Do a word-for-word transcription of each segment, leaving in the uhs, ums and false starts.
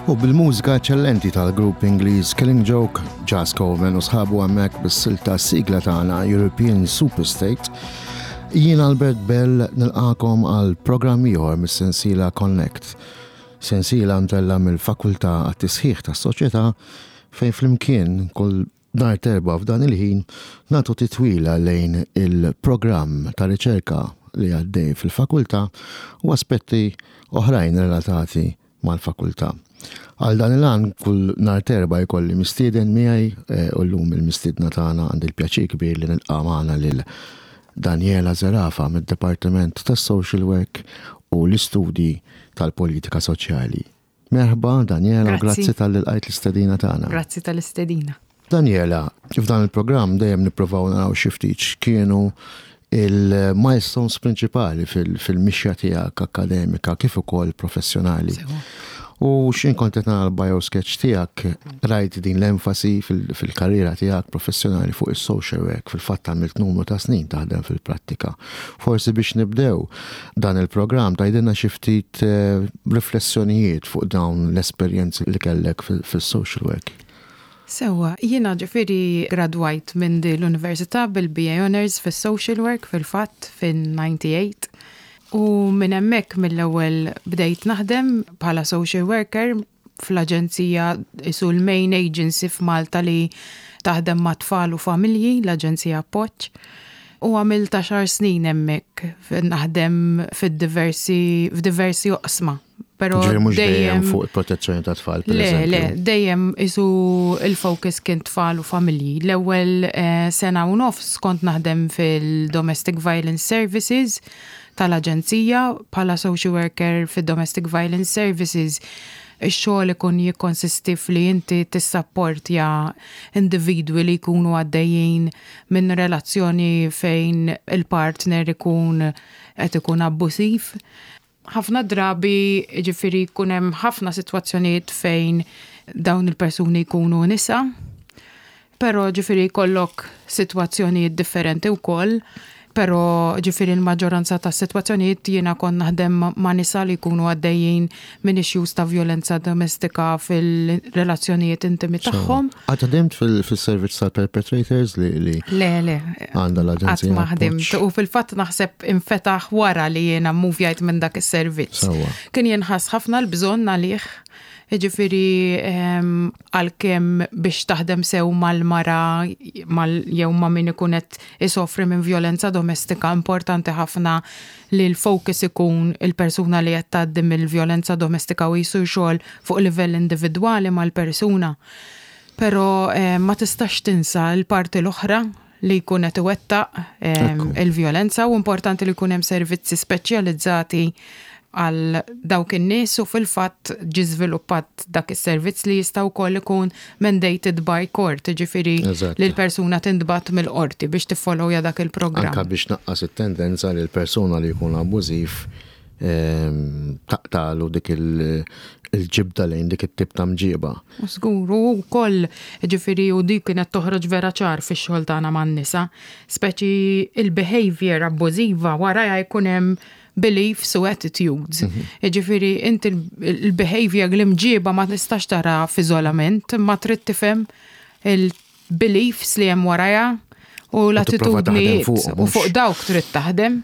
U bil-mużika eċċellenti tal-grupp Ingliż Killing Joke, Jaz Coleman u sħabu hemmhekk bis-silta sigla tagħna European Superstate, jien Albert Bell nilqagħkom għal programm ieħor mis-sensiela Connect. Sensiela mtella mill-Fakultà għat-Tisħiħ tas-Soċjetà fejn flimkien kull nhar t'Erbgħa f'dan il-ħin nagħtu titwila lejn il-programm ta' riċerka li għaddej fil-fakultà u aspetti oħrajn relatati mal-fakultà. Għal dan il-għan kull nhar t'Erbgħa jkolli mistieden miegħi eh, u llum il-mistiedna tagħna għandi l-pjaċir kbir li nilqa' magħna lil Daniela Zerafa mid-Dipartiment tas-Social Work u l-Istudji tal-Politika Soċjali. Merħba Daniela, Grazzi. Grazzi talli lqajt l-istedina tagħna. Grazzi tal-istedina. Daniela, f'dan il-programm dejjem nippruvaw naraw xi ftit x'kienu il-milestones prinċipali fil-mixja tiegħek akademika kif ukoll professjonali. Sewa. U x'ħin kont qed nara l-biosketch tiegħek, rajt din l-enfasi fil-karriera tiegħek professjonali fuq is-social work, fil-fatt għamilt numru ta' snin taħdem fil-prattika. Forsi biex nibdew dan il-programm tgħidilna xi ftit eh, riflessjonijiet fuq dawn l-esperjenzi li kellek fil-social work. Sewa, jiena ġifieri gradwajt minn di l-Università bil-B A Honours fis-Social Work fil-fatt fin-disgħa u disgħin. U minn hemmhekk mill-ewwel bdejt naħdem bħala social worker fl-aġenzija, isu l-main agency f'Malta li taħdem ma' tfal u familji, l-Aġenzija Appoġġ. U għamilt għaxar snin hemmhekk naħdem fid-diversi f'diversi oqsma. Pero Ġifieri mhux dejjem fuq il-protezzjoni ta' tfal, per Le, le, eżempju. Dejjem isu il-focus kien tfal u familji. L-ewwel eh, sena u nofs kont naħdem fil-Domestic Violence Services tal-Aġenzija bħala social worker fil-Domestic Violence Services. Ix-xogħol ikun jikkonsisti fli inti tissapportja individwi li jkunu għaddejjin minn relazzjoni fejn il-partner ikun qed ikun abbusiv. Ħafna drabi, ġifieri, jkun hemm ħafna sitwazzjonijiet fejn dawn il-persuni jkunu nisa, pero ġifieri jkollok sitwazzjonijiet differenti wkoll, pero ġifieri l-maġġoranza ta' sitwazzjonijiet jiena kont naħdem ma' nisa li jkunu għaddejjin minn issues ta' violenza domestika fil-relazzjonijiet intimi tagħhom. Għad ħdimt fil-servizz tal-perpetrators li li Le, le, għandha l-Aġenzija qatt ma ħdimt. Appoġġ? U fil-fatt naħseb infetaħ wara li jiena muvjajt minn dak is-servizz. Sewwa. Kien jinħass ħafna l-bżonn għalih. Ġifieri em, għalkemm biex taħdem sew mal-mara mal, jew ma' min ikun qed isofri minn violenza domestika, importanti ħafna li l-focus ikun il-persuna li qed tgħaddi mill-violenza domestika u jsir xogħol fuq livell individwali mal-persuna. Pero eh, ma tistax tinsa l-parti l-oħra li jkun qed iwettaq em, Ekku. il-violenza u importanti li jkun hemm servizzi speċjalizzati għal dawk in-nies u fil-fatt ġi żviluppat dak is-servizz li jista' wkoll ikun mandated by court, ġifieri Eżatt. li l-persuna tintbagħat mill-qorti biex tiffollowja dak il-programm. Anka biex naqqas it-tendenza li l-persuna li jkun abbużiv ehm, taqtalu dik il- il-ġibda lejn dik it-tip ta' mġiba. U żgur, u wkoll, ġifieri, u dik kienet toħroġ vera ċar fix-xogħol tagħna man-nisa, speċi il-behavior abbużiva warajha jkun hemm beliefs u attitudes. Ġifieri, inti il-behavior, l-imġiba ma tistax tara f'iżolament, ma trid tifhem il-beliefs li hemm warajha u tipprova taħdem l-attitudnijiet. fuqhom, U mhux- fuq dawk trid taħdem.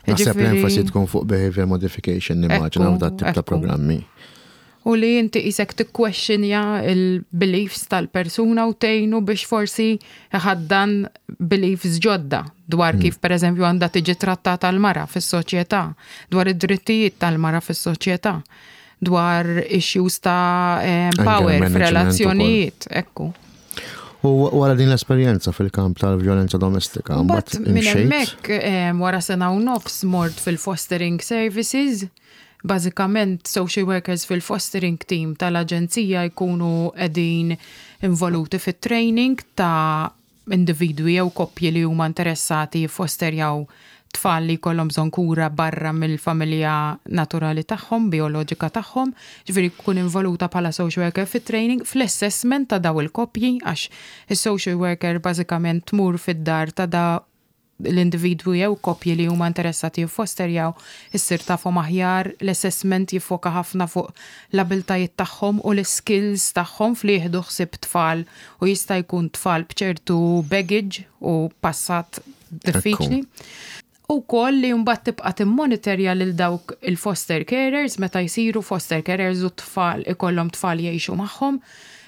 Naħseb Ġifieri- l-enfasi tkun fuq behavior modification, nimmaġina, Ekku, f'dat tip ta' ekku. programmi. U li inti qisek tikkwestjonja il-beliefs tal-persuna u tgħinu biex forsi ħaddan beliefs ġodda dwar Hmm. kif per eżempju għandha tiġi trattata l-mara fis-soċjetà, dwar id-drittijiet tal-mara fis-soċjetà, dwar issues ta' eh, Anger power management. f'relazzjonijiet, ekku. U wara din l-esperjenza fil-kamp tal-violenza domestika, Mbagħad mbagħad minn imxejt. hemmhekk eh, wara sena u nofs mort fil-fostering services. Bażikament social workers fil-fostering team tal-aġenzija jkunu qegħdin involuti fit-training ta' individwi jew koppji li huma interessati jiffosterjaw tfal li jkollhom bżonn kura barra mill-familja naturali tagħhom, bioloġika tagħhom, ġifieri jkun involuta bħala social worker fit-training, fl-assessment ta' daw il-koppji, għax is-social worker bażikament tmur fid-dar ta' da L-individwi jew koppji li huma interessati jiffosterjaw issir tafhom aħjar, l-assessment jiffoka ħafna fuq l-abiltajiet tagħhom u l-skills tagħhom fli jieħdu ħsieb tfal u jista' jkun tfal b'ċertu baggage u passat diffiċli. U koll li mbagħad tibqa' timmonitorja lil dawk il-foster carers meta jsiru foster carers u tfal ikollhom tfal jgħixu magħhom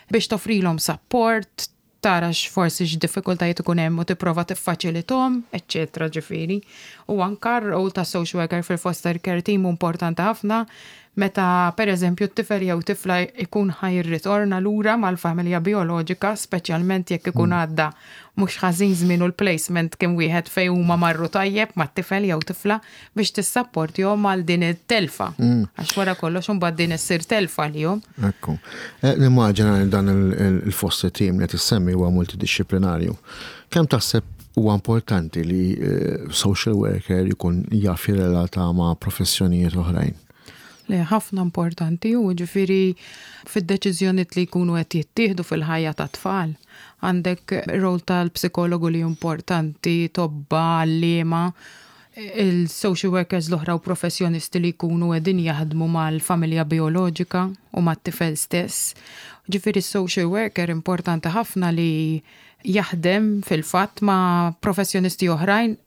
biex toffrilhom support, tara forsi x'diffikultajiet ikun hemm u tipprova tiffaċilithom, eċċetera ġifieri. U anka r-rol ta' social worker fil-foster care team importanti ħafna meta per eżempju t-tifel jew tifla ikun ħa jirritorna lura mal-familja bioloġika, speċjalment jekk ikun mm. għadda mhux ħażin żmien u l-placement kien wieħed fejn huma marru tajjeb mat-tifel jew tifla biex tissapportihom għal din it-telfa. Mm. Għax wara kollox imbagħad din issir telfa lihom. Ekku. Eh, nimmaġina li dan il-foster team li tissemmi huwa multidisciplinarju. Kemm taħseb huwa importanti li eh, social worker jkun jaf jirrelata ma' professjonijiet oħrajn? Le, ħafna importanti u ġifieri fid-deċiżjonijiet li jkunu qed jittieħdu fil-ħajja ta' tfal. Għandek rol tal-psikologu li importanti, tobba, għalliema, il-social workers l-oħra u professjonisti li jkunu qegħdin jaħdmu mal-familja bioloġika u mat-tifel stess. Ġifieri social worker importanti ħafna li jaħdem fil-fatt ma' professjonisti oħrajn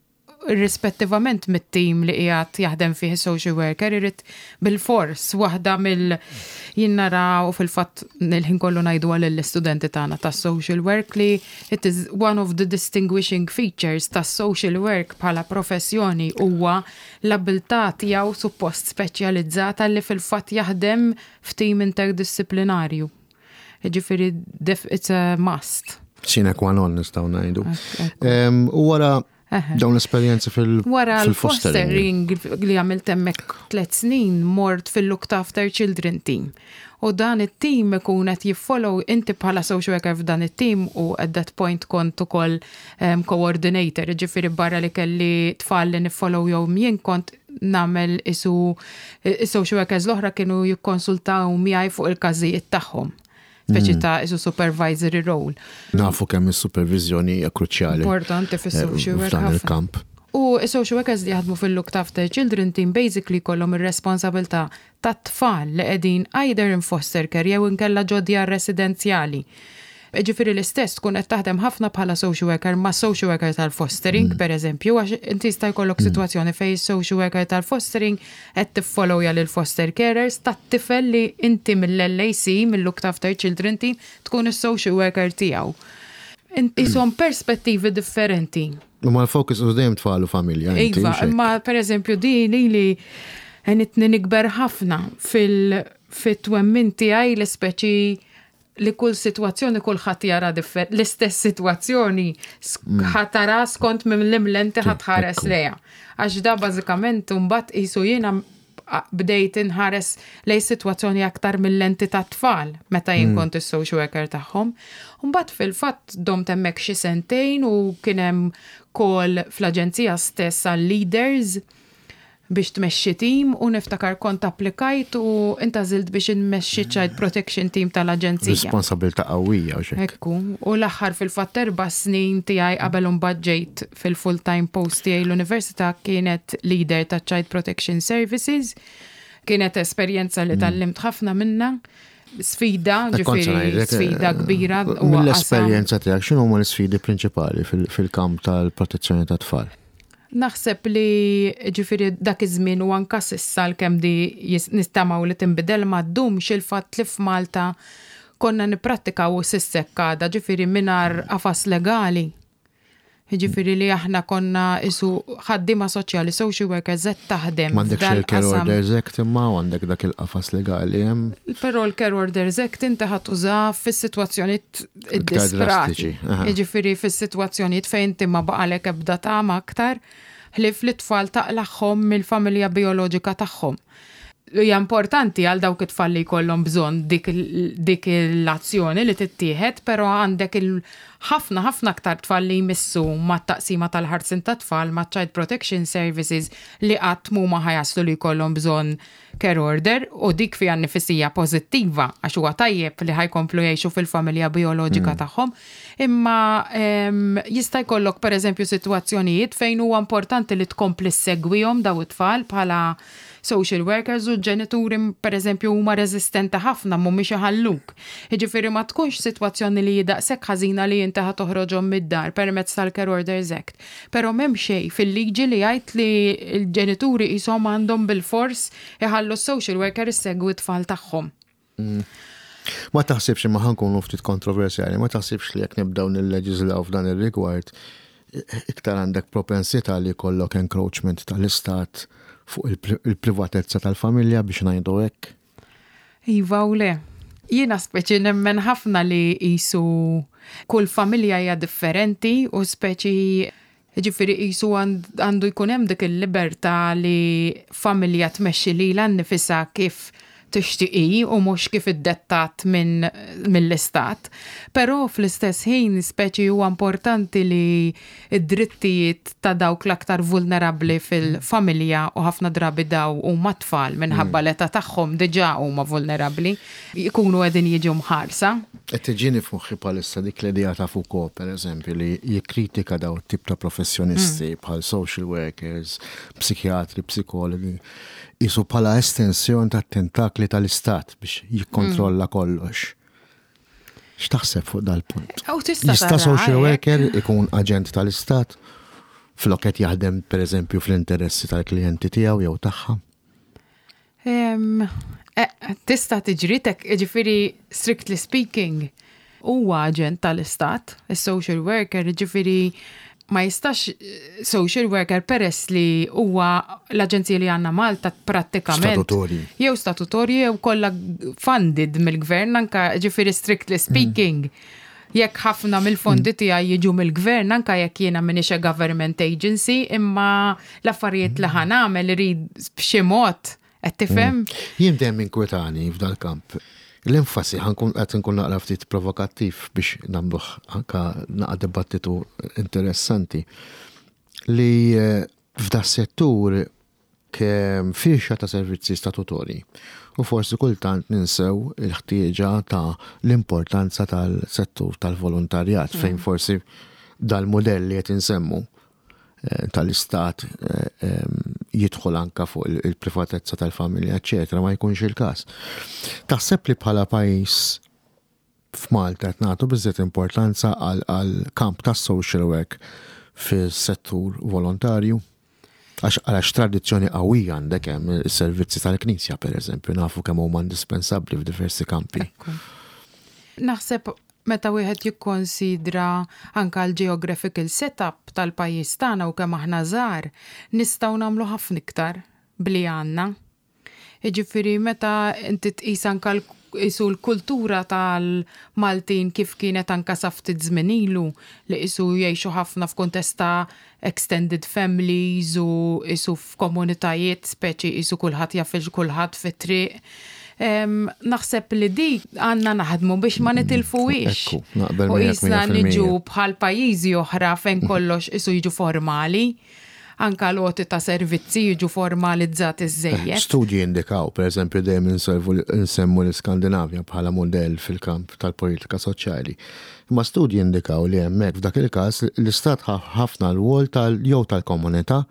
rispettivament mit-team li qiegħed jaħdem fih social worker irid bil-fors waħda mill jien nara u fil-fatt il-ħin kollu ngħidu għall-istudenti tagħna tas social work li it is one of the distinguishing features tas social work bħala professjoni huwa l-abilità tiegħu suppost speċjalizzata li fil-fatt jaħdem f'team interdisciplinarju. Ġifieri it's a must. Sine qua non nistgħu ngħidu. U wara dawn l-esperjenzi fil- Wara l-fostering li għamilt hemmhekk tliet snin mort fil-Looked After Children Team. U dan it-team ikun qed jiffollow inti bħala social worker f'dan it-team u at that point kont ukoll um, coordinator, ġifieri barra li kelli tfal li niffollow jew jien kont nagħmel isu social workers l-oħra kienu jikkonsultaw miegħi fuq il-każijiet tagħhom speċi mm. ta' isu supervisory role. Nafu kemm is-supervizjoni hija kruċjali. Importanti fis-social work. F'dan il-kamp. U social workers li jaħdmu fil-Looked After Children Team basically kollhom ir-responsabilità ta' tfal li qegħdin either in foster care jew inkella ġo djar residenzjali. Ġifieri l-istess tkun qed taħdem ħafna bħala social worker ma' social worker tal-fostering, mm. per eżempju, għax inti jista' jkollok mm. sitwazzjoni fejn social worker tal-fostering qed tiffollowja lil foster carers tat-tifel li inti mill-L A C, mill-Looked After Children Team, tkun is-social worker tiegħu. Isom perspettivi differenti. Ma l-focus u dejjem tfal u familja. Iva, imma per eżempju di li li għenitni nikber ħafna fil-twemmin tiegħi l-speċi li kull situazzjoni kulħadd jara differ l-istess situazzjoni mm. ħa tara skont minn liema lenti ħa tħares lejha. Għax da bażikament mbagħad qisu jiena bdejt inħares lej situazzjoni aktar mill-lenti ta' tfal meta jien mm. kont is-social worker tagħhom. Mbagħad fil-fatt domt hemmhekk xi sentejn u kien hemm call fl-aġenzija stess għal leaders biex tmexxi team u niftakar kont applikajt u intgħażilt biex inmexxi Child Protection Team tal-Aġenzija. Responsabilità qawwija u xek. Ekku, u l-aħħar fil-fatt erba' snin tiegħi qabel mbagħad ġejt fil-full-time post tiegħi l-università kienet leader ta' Child Protection Services. Kienet esperjenza li mm. tgħallimt ħafna minna sfida, ġifieri sfida eh, kbira. Mill-esperjenza tiegħek, x'inhu l-sfidi prinċipali fil-kamp tal-protezzjoni ta' tfal? Naħseb li ġifieri dak iż-żmien u anka s'issa l-kemm di nistamaw li tinbidel ma ddumx il-fatt li f'Malta konna nipprattikaw u s'issa għadha ġifieri mingħajr qafas legali. Ġifieri li aħna konna isu ħaddiema soċjali, social workers qed taħdem. M'għandek il-Care Orders Act imma għandek dak il-qafas legali hemm. Però l-Care Orders Act inti ħa tuża fis-sitwazzjonijiet disprati. Ġifieri fis-sitwazzjonijiet fejn inti ma baqalek ebda tama aktar ħlif li tfal taqlagħhom mill-familja bioloġika tagħhom. Hija importanti għal dawk it-tfal li jkollhom bżonn dik, dik l-azzjoni li tittieħed, però għandek il-ħafna ħafna aktar tfal li jmissu mat-taqsima tal-ħarsien tat-tfal, ma' Child Protection Services, li qatt mhuma ħa jaslu li jkollhom bżonn care order, u dik fiha nnifisha hija pożittiva għax huwa tajjeb li ħa jkomplu jgħixu fil-familja bioloġika mm. tagħhom. Imma jista' jkollok, pereżempju, sitwazzjonijiet fejn huwa importanti li tkompli ssegwihom daw it-tfal bħala social workers u ġenituri, per eżempju, huma rezistenti ħafna, mhumiex iħalluk. Jiġifieri ma tkunx sitwazzjoni li daqshekk ħażina li inti ħa toħroġhom mid-dar permezz tal-Care Orders Act. Però m'hemm xejn fil-liġi li jgħid li l-ġenituri qishom għandhom bil-fors iħallu s-social worker issegwi t-tfal tagħhom. Mm. Ma taħsibx, imma ħa nkunu ftit kontroversjali, ma taħsibx li jekk nibdew nilleġislaw f'dan ir-rigward, iktar għandek propensità li jkollok encroachment tal-istat fuq il-privatezza tal-familja, biex ngħidu hekk? Iva u le. Jiena speċi nemmen ħafna li qisu kull familja hija differenti u speċi, ġifieri, qisu għandu jkun hemm dik il-libertà li familja tmexxi lilha nnifisha kif tixtieq u mhux kif iddettat minn mill-istat. Però fl-istess ħin speċi huwa importanti li id-drittijiet ta' dawk l-aktar vulnerabbli fil-familja, u ħafna drabi daw huma tfal minħabba mm. l-età tagħhom diġà huma vulnerabbli, jkunu qegħdin jiġu mħarsa. Qed tiġini f'moħħi bħalissa dik l-idea ta' Foucault, per eżempju, li jikkritika daw tip ta' professjonisti mm. bħal social workers, psikjatri, psikologi, qisu bħala estensjon ta' tentakli tal-istat biex jikkontrolla mm. kollox. X'taħseb fuq dal-punt? Jista' social worker ikun aġent tal-istat flok qed jaħdem, pereżempju, fl-interessi tal-klijenti tiegħu jew tagħha? Eh, tista' tiġri tek, ġifieri, strictly speaking, huwa aġent tal-istat, is-social worker, ġifieri ma jistax eh, social worker, peress li huwa l-aġenzija li għandna Malta prattikament. Statutorji. Jew statutorji jew kollha funded mill-gvern, anka, ġifieri, strictly speaking. Jekk ħafna mill-fondi tiegħi jiġu mill-gvern, anka jekk jiena m'iniex a government agency, imma l-affarijiet li ħa nagħmel irid b'xi mod, qed tifhem? Jien dejjem inkwetani f'dal kamp. L-enfasi, ħa nkun qed nkun naqra ftit provokattiv biex nagħmluh anka naqa dibattitu interessanti, li eh, f'da settur kemm firxa ta' servizzi statutori u forsi kultant ninsew il-ħtieġa ta' l-importanza tal-settur tal-volontarjat, fejn forsi dal-modell li qed insemmu eh, tal-istat eh, em, jidħol anka fuq il- il-privatezza tal-familja, eċetera, ma jkunx il-każ. Taħseb li bħala pajjiż f'Malta qed nagħtu biżżejjed importanza għal għal kamp tas social work fis-settur volontarju? Għax għax tradizzjoni qawwija għandek hemm is-servizzi tal-Knisja, pereżempju, nafu kemm huma indispensabbli f'diversi kampi. Ekku. Naħseb meta wieħed jikkonsidra anka l-geographical setup tal-pajjiż tagħna u kemm aħna żgħar, nistgħu nagħmlu ħafna iktar bli għandna. Jiġifieri meta inti tqis anka l- qisu l-kultura tal-Maltin kif kienet anka sa ftit żmien ilu, li qisu jgħixu ħafna f'kuntest ta' extended families u qisu f'komunitajiet, speċi qisu kulħadd jaf lil kulħadd fit-triq. Em, naħseb li dik għandna naħdmu biex ma nitilfuhiex. Ekku, naqbel U miegħek qisna mija fil-mija. niġu bħal pajjiżi oħra fejn kollox qisu jiġu formali, anka l-għoti ta' servizzi jiġu formalizzati żejjed. Studji indikaw, per eżempju, dejjem inservu- insemmu l-Skandinavja bħala modell fil-kamp tal-politika soċjali. Imma studji indikaw li hemmhekk f'dak il-każ l-istat ħa ħafna l-wol tal jew tal-komunità,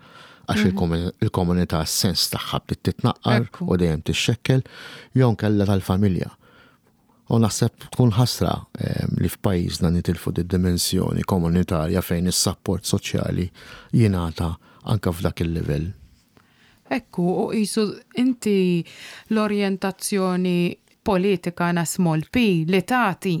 għax il-komu- il-komunità s-sens tagħha bdiet titnaqqar Ekku. u dejjem tixxekkel, jew nkella tal-familja. U naħseb tkun ħasra em, li f'pajjiżna nitilfu di dimensjoni komunitarja fejn is-sapport soċjali jingħata anka f'dak il-livell. Ekku, u qisu inti l-orientazzjoni politika na small p li tagħti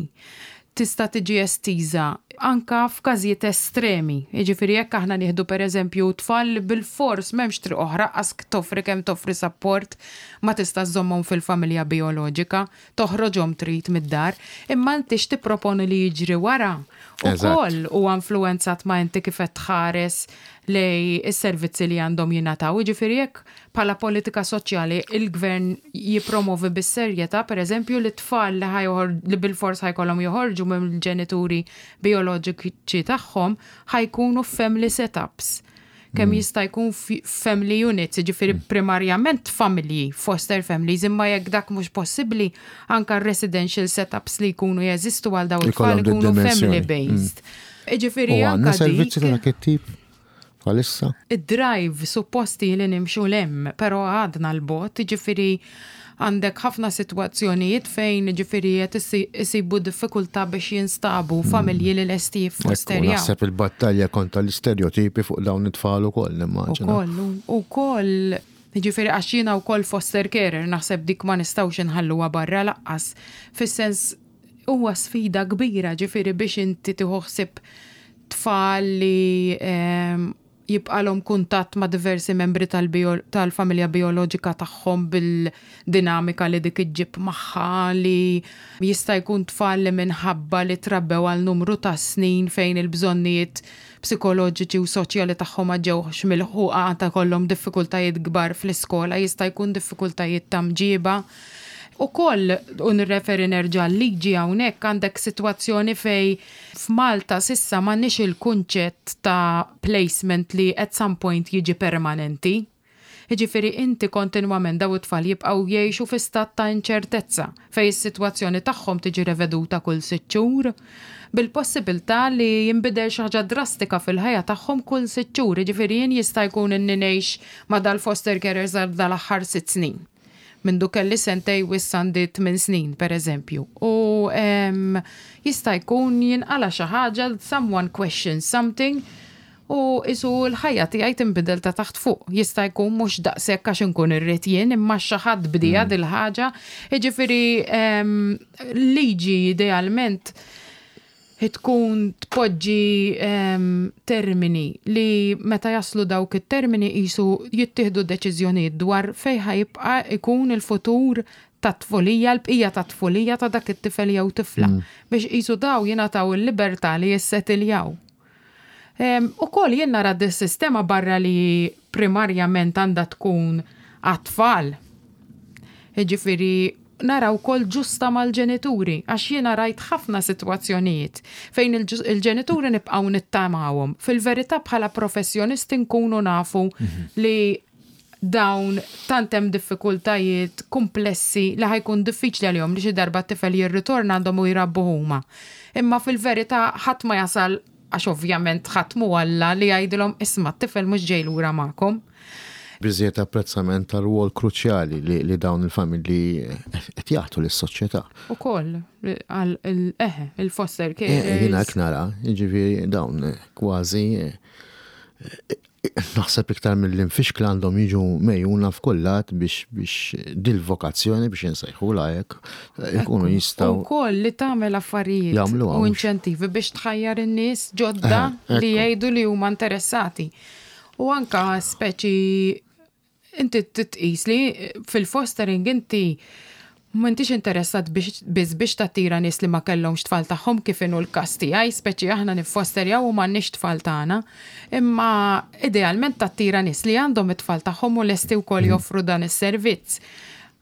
tista' tiġi estiża anka f'każijiet estremi. Jiġifieri jekk aħna nieħdu, pereżempju, tfal li bil-fors m'hemmx triq oħra, qas toffri kemm toffri support ma tista' żżommhom fil-familja bioloġika, toħroġhom trid mid-dar, imma inti x'tipproponi li jiġri wara? Eżatt. Ukoll huwa influenzat ma' inti kif qed tħares Lejn is-servizzi li għandhom jingħataw. Ġifieri jekk bħala politika soċjali il-gvern jipromovi bis-serjetà, per eżempju, li tfal li ħa joħor li bil-fors ħa jkollhom joħorġu mill-ġenituri bioloġiċi tagħhom ħa jkunu family setups kemm mm. jista' jkun family units, ġifieri mm. primarjament familji, foster families, imma jekk dak mhux possibbli, anka residential setups li jkunu jeżistu għal dawn it-tfal ikunu family based. Mm. Ġifieri anka servizzi ta' dak it-tip bħalissa? Id-drive supposti li nimxu 'l hemm, pero għadna 'l bogħod, ġifieri għandek ħafna situazzjonijiet fejn ġifieri qed isibu diffikultà biex jinstabu hmm. familji li lesti jiffosterjaw. Naħseb il-battalja kontra l-istereotipi fuq dawn it-tfal ukoll, nimmaġina. Ukoll, ukoll ġifieri għax jiena wkoll foster carer, naħseb dik ma nistgħux inħalluha barra lanqas. Fis-sens huwa sfida kbira ġifieri biex inti tieħu ħsieb tfal li ehm, jibqalhom kuntatt ma' diversi membri tal-familja bioloġika tagħhom bil-dinamika li dik iġġib magħha, li jista' jkun tfal li minħabba li trabbew għal numru ta' snin fejn il-bżonnijiet psikoloġiċi u soċjali tagħhom ma ġewx milħuqa ta' kollhom diffikultajiet kbar fl-iskola, jista' jkun diffikultajiet ta' mġiba. Ukoll, u nirreferi nerġa' liġi hawnhekk, għandek sitwazzjoni fejn f'Malta s'issa m'għandniex il-kunċett ta' placement li at some point jiġi permanenti. Jiġifieri inti kontinwament dawn it-tfal jibqgħu jgħixu fi stat ta' inċertezza fejn is-sitwazzjoni tagħhom tiġi reveduta kull sitt xhur bil-possibilità li jinbidel xi ħaġa drastika fil-ħajja tagħhom kull sitt xhur. Jiġifieri jien jista' jkun inni ngħix ma' dal-foster carers għal dal-aħħar sitt snin. Mindu kelli sentejn u issa għandi tmien snin, per eżempju. U em, jista' jkun jinqala xi ħaġa, someone questions something, u qisu l-ħajja tiegħi tinbidel ta' taħt fuq. Jista' jkun mhux daqshekk għax inkun irrid jien, imma xi ħadd bdieha dil-ħaġa. Jiġifieri em, liġi idealment tkun tpoġġi em, termini li meta jaslu dawk it-termini qisu jittieħdu deċiżjonijiet dwar fejn ħa jibqa' ikun il-futur ta' tfulija, l-bqija ta' tfulija ta' dak it-tifel jew tifla. Biex qisu dawn jingħataw il-libertà li jissetiljaw. Ukoll jien nara dis-sistema barra li primarjament għandha tkun għat-tfal. Jiġifieri nara wkoll ġusta mal-ġenituri, għax jiena rajt ħafna sitwazzjonijiet fejn il-ġu- il-ġenituri nibqgħu nittamawhom. Fil-verità bħala professjonisti nkunu nafu li dawn tant hemm diffikultajiet komplessi li ħa jkun diffiċli għalihom li xi darba t-tifel jirritorna għandhom u jrabbu huma. Imma fil-verità ħadd ma jasal, għax ovvjament ħadd mhu Alla li jgħidilhom, "Isma', t-tifel mhux ġej lura magħkom." Biżżejjed apprezzament tal-rwol kruċjali li, li dawn il-familji qed jagħtu lis-soċjetà. Ukoll għal il- eħe, il-foster Eh, Jiena carers. hekk nara, jiġifieri dawn eh, kważi eh, eh, naħseb iktar mill-infixkla għandhom jiġu megħjuna f'kullat biex biex dil-vokazzjoni, biex insejħu hekk, ikunu jistgħu Ukoll li tagħmel affarijiet jagħmluha u mhux- inċentivi biex tħajjar in-nies ġodda Eh, li ekku. jgħidu li huma interessati. U anka speċi inti titqis li fil-fostering inti m'intix interessat biex biss biex tattira nies li ma kellhomx tfal tagħhom, kif inhu l-każ tiegħi, speċi aħna niffosterjaw u m'għandniex tfal tagħna, imma idealment tattira nies li għandhom it-tfal tagħhom u lesti wkoll joffru dan is-servizz.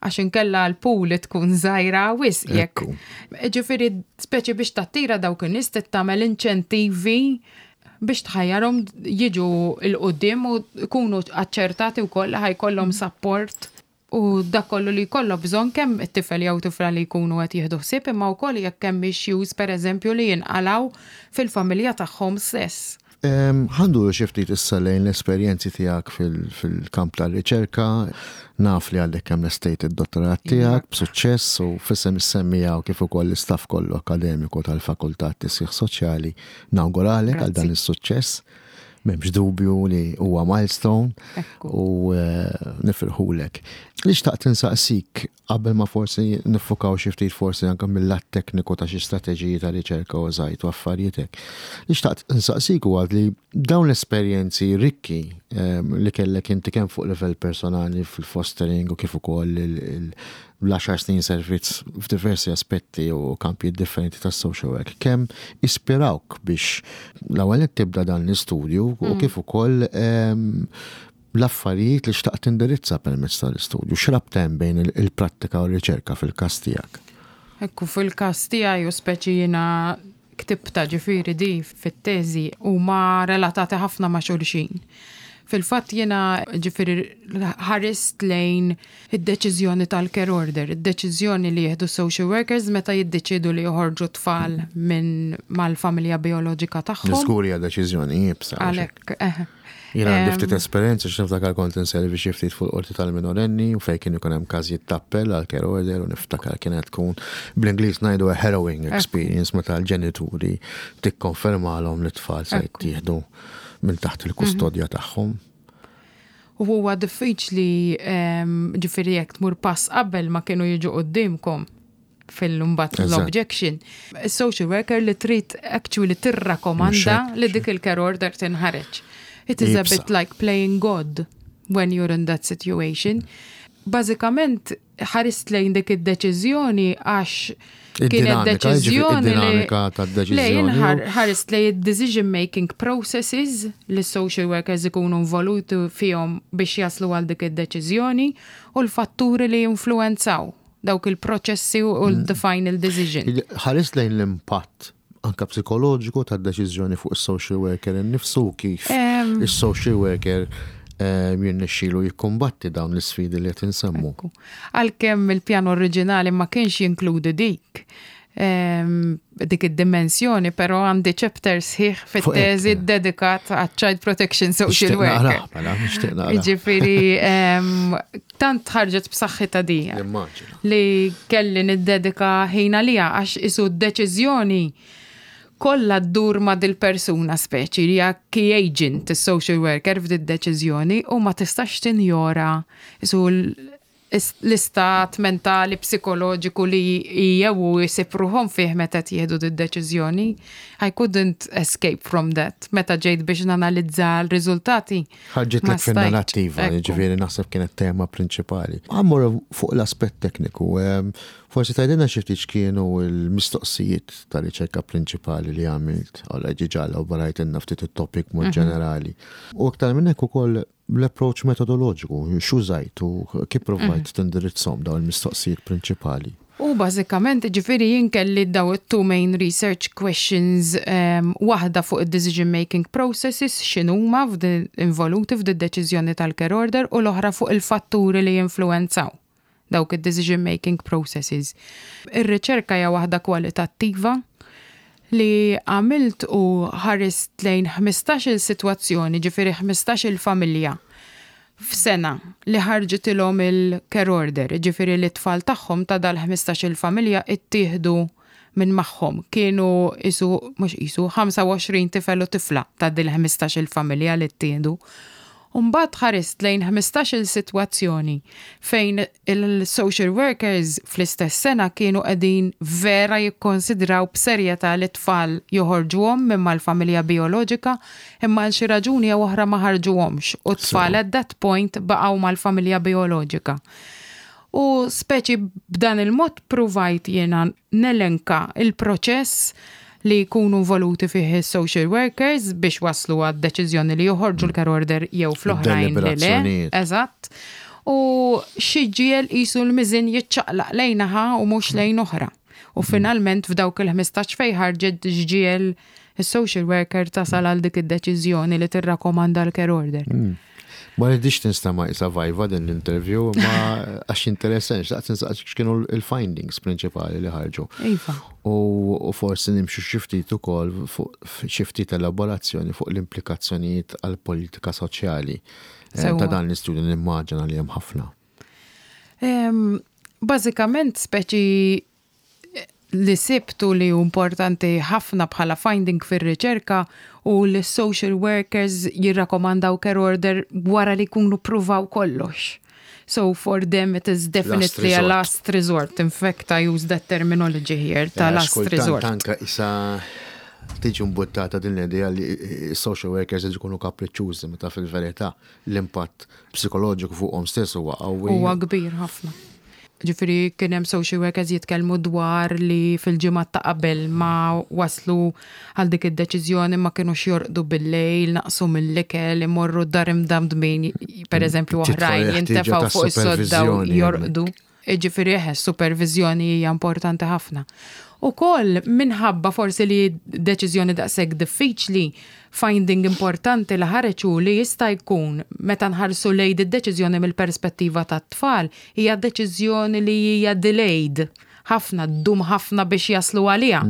Għax inkella l-pool tkun żgħira wisq jekk. Ekku. Ġifieri speċi biex tattira dawk in-nies trid tagħmel inċentivi biex tħajjarhom jiġu 'l quddiem u jkunu aċċertati wkoll li ħa jkollhom support u dak kollu li jkollhom bżonn, kemm it-tifel jew tifla li jkunu qed jieħdu ħsieb, imma wkoll jekk hemm issues, pereżempju, li jinqalgħu fil-familja tagħhom stess. Ħa nduru xi ftit issa lejn l-esperjenzi tiegħek fil-kamp tal-riċerka, naf li għandek kemm lestejt id-dottorat tiegħek b'suċċess u f'isem is-semmiegħa u kif ukoll l-istaff kollu akademiku tal-Fakultà Tisħiħ Soċjali nawguralek għal dan Grazzi. is-suċċess. M'hemmx dubju li huwa milestone Ekku. u eh, nifirħulek. Li xtaqt insaqsik qabel ma forsi niffukaw xi ftit forsi anke mill-lat tekniku ta' xi strateġiji ta' riċerka użajt u affarijiet hekk. Li xtaqt insaqsik huwa li dawn l-esperjenzi rikki em, li kellek inti kemm fuq livell personali fil-fostering u kif ukoll il- il- l-għaxar snin servizz f'diversi aspetti u kampi differenti tas social work, kemm ispirawk biex l-ewwel tibda dan l-istudju u mm. kif ukoll l-affarijiet li xtaqt tindirizza permezz tal-istudju? X'rabta hemm bejn il-prattika u r-riċerka fil-każ tiegħek? Ekku, fil-każ tiegħi u speċi jiena ktibtha, ġifieri di fit-teżi, huma relatati ħafna ma' xulxin. Fil-fatt jiena ġifieri ħarist lejn id-deċiżjoni tal-care order, id-deċiżjoni li jieħdu social workers meta jiddeċidu li joħorġu tfal minn mal-familja bioloġika tagħhom. Żgur hija deċiżjoni iebsa. Għalhekk, eh. Jiena għandi ftit esperjenza, x'niftakar kont inservi xi ftit fuq qorti tal-minorenni u fejn kien ikun hemm każijiet t'appell għal care order u niftakar kienet tkun, bl-Ingliż ngħidu, a harrowing experience meta l-ġenituri tikkonfermalhom li t-tfal se jittieħdu minn taħt il-kustodja mhm. tagħhom. U huwa diffiċli, ġifieri jekk tmur pass qabel ma kienu jiġu quddiemkom fil-lumbat l-objection. Social worker li trid actually tirrakomanda li dik il-care order tinħareġ. It is a bit like playing God when you're in that situation. Bażikament ħarist lejn dik id-deċiżjoni għax kienet deċiżjoni li ħarist lejn decision making processes li social workers ikunu involuti fihom biex jaslu għal dik id-deċiżjoni u l-fatturi li influenzaw dawk il-proċessi u the final decision. Ħarist lejn l-impatt anka psikoloġiku ta' deċiżjoni fuq is-social worker innifsu, kif is-social worker jirnexxilu jikkombatti dawn l-isfidi li qed insemmu. Għalkemm il-pjan oriġinali ma kienx jinkludi dik dik id-dimensjoni, pero għandi chapter sħiħ fit-teżi dedikat għal Child Protection Social Worker. Ġifieri, tant ħarġet b'saħħitha di li kelli niddedika ħin għaliha, għax isu d-deċiżjoni kollha ddur ma' dil-persuna, speċi li hija key agent, is-social worker, f'did deċiżjoni u ma tistax tinjora isu l-istat mentali psikoloġiku li jew jsib ruħhom fih meta jieħdu d-deċiżjoni. I couldn't escape from that. Meta ġejt biex nanalizza l-riżultati. Ħarġet l fin-narrattiva, ġifieri naħseb kienet tema prinċipali. Ħa mmur fuq l-aspett tekniku. Forsi tgħidilna xi ftit kienu l-mistoqsijiet ta' riċerka prinċipali li għamilt, għalla ġiġalla u barajt ftit it-topic mod mhm. ġenerali. U aktar minn hekk ukoll l-approach metodoloġiku, x'użajt u kif provajt mhm. tindirizzhom dawn il-mistoqsijiet prinċipali? U bażikament, ġifieri jien kelli daw two main research questions, um, waħda fuq il-decision making processes, x'inhuma involuti f'did deċiżjoni tal-care order, u l-oħra fuq il-fatturi li jinfluenzaw dawk il-decision making processes. Ir-riċerka hija waħda kwalitattiva li għamilt u ħarist lejn ħmistax-il sitwazzjoni, ġifieri ħmistax-il familja f'sena li ħarġitilhom il-care order, ġifieri li tfal tagħhom ta' dal-ħmistax-il familja ittieħdu minn magħhom. Kienu isu, mhux isu, ħamsa u għoxrin tifel u tifla ta' dil-ħmistax-il familja li ttieħdu. Umbagħad ħarist lejn ħmistax-il sitwazzjoni fejn il-social workers fl-istess sena kienu qegħdin vera jikkonsidraw b'serjetà li tfal joħorġuhom minn mal-familja bioloġika, imma għal xi raġuni jew oħra ma ħarġuhomx u t-tfal at that point baqgħu mal-familja bioloġika. U speċi b'dan il-mod provajt jiena nelenka il-proċess li jkunu involuti fih social workers biex waslu għad deċiżjoni li joħorġu l-care order jew fl-oħrajn li le. Eżatt. U x'ġiegħel qisu l-miżien jiċċaqlaq lejn naħa u mhux lejn oħra. U finalment f'dawk il-ħmistax fej ħarġet x'ġiegħel il-social worker tasal għal dik id-deċiżjoni li tirrakkomanda l-care order. Mm. Ma rridix tinstama' isa vajva din l-interview, ma għax interessanti, xtaqt nsaqsik x'kienu il-findings prinċipali li ħarġu. Iva. U forsi nimxu xi ftit ukoll fuq xi ftit elaborazzjoni fuq l-implikazzjonijiet għal-politika soċjali eh, ta' dan l-istudju, nimmaġina li hemm ħafna. Bażikament speċi li sibtu li importanti ħafna bħala finding fir-riċerka u li social workers jirrakomandaw care order wara li jkunu pruvaw kollox. So for them it is definitely last a last resort. In fact, I use that terminology here, ta' last resort. Anka isa tiġi mbuttata din l-idea li social workers ikunu kapriċċużi, meta fil-verità l-impatt psikoloġiku fuqhom stess huwa qawwi. Huwa kbir ħafna. Ġifieri kien hemm social workers jitkellmu dwar li fil-ġimgħat ta' qabel ma waslu għal dik id-deċiżjoni ma kinux jorqdu bil-lejl, naqsu mill-ikel, imorru d-dar imdamdmin, per eżempju Titfa' oħrajn l-ħtieġa jintefgħu ta' fuq is-sodda u supervizjoni jorqdu. Ġifieri eħe, supervizjoni hija importanti ħafna. Ukoll minħabba forsi li deċiżjoni daqshekk diffiċli, finding importanti li ħareġ hu li jista' jkun meta nħarsu lejn id-deċiżjoni mill-perspettiva tat-tfal, hija deċiżjoni li hija delayed ħafna, ddum ħafna biex jaslu għaliha.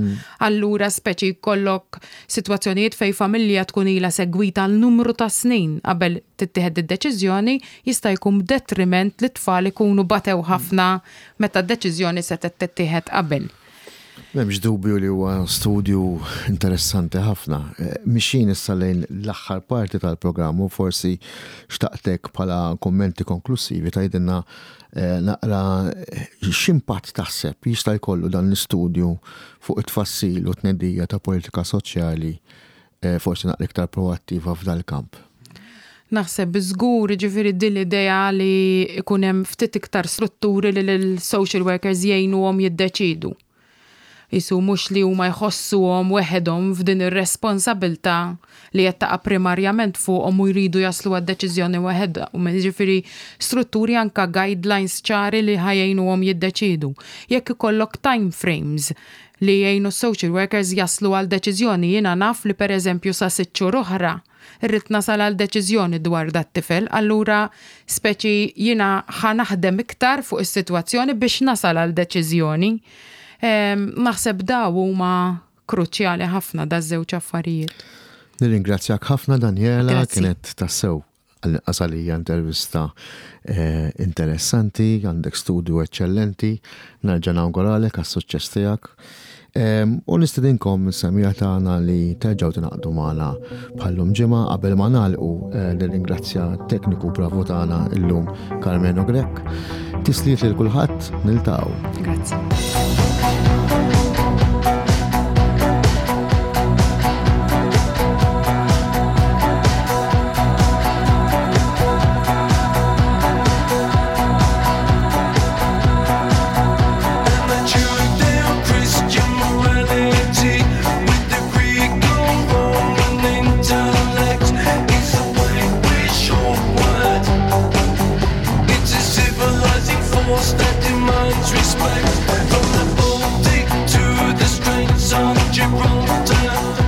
Allura speċi jkollok sitwazzjonijiet fej familja tkun ilha segwita għal numru ta' snin qabel tittieħed id-deċiżjoni, jista' jkun detriment li t-tfal ikunu batew ħafna meta d-deċiżjoni setgħet tittieħed qabel. M'hemmx dubju li huwa studju interessanti ħafna. Eh, Mixin issa lejn l-aħħar parti tal-programm u forsi xtaqtek bħala kommenti konklusivi tgħidilna eh, naqra eh, x'impatt taħseb jista' jkollu dan l-istudju fuq it-tfassil u tnedija ta' politika soċjali eh, forsi naqra iktar proattiva f'dal-kamp. Naħseb żgur, ġifieri din l-idea li ikun hemm ftit iktar strutturi li l-social workers jgħinuhom jiddeċidu. Jisu mhux li huma jħossuhom weħedhom f'din ir-responsabilità li qed taqa' primarjament fuqhom u jridu jaslu għad-deċiżjoni waħedhom. Ġifieri strutturi anka guidelines ċari li ħa jgħinuhom jiddeċidu. Jekk ikollok time frames li jgħinu social workers jaslu għal deċiżjoni, jiena naf li per eżempju sa sitt xhur oħra irrid nasal għal deċiżjoni dwar dat tifel, allura speċi jiena ħa naħdem iktar fuq is-sitwazzjoni biex nasal għal deċiżjoni. Em, Naħseb daw huma kruċjali ħafna da żewġ affarijiet. Nirringrazzjak ħafna, Daniela, Grazzi. kienet tassew għal-għalija intervista eh, interessanti, għandek studju eccellenti, nerġa' nawguralek għas-suċċess tiegħek. Em, U nistedinkom semmiegħa tagħna li terġgħu tingħaqdu magħna bħallum ġimgħa. Qabel ma nagħlqu eh, nirringrazzja tekniku bravu tagħna illum, Carmeno Grech. Tisliet lil kulħadd, niltaqgħu. Grazzi. Judeo-Christian morality with the Greco-Roman intellect is a white or word. It's a civilizing force that demands respect from the Baltic to the Straits of Gibraltar.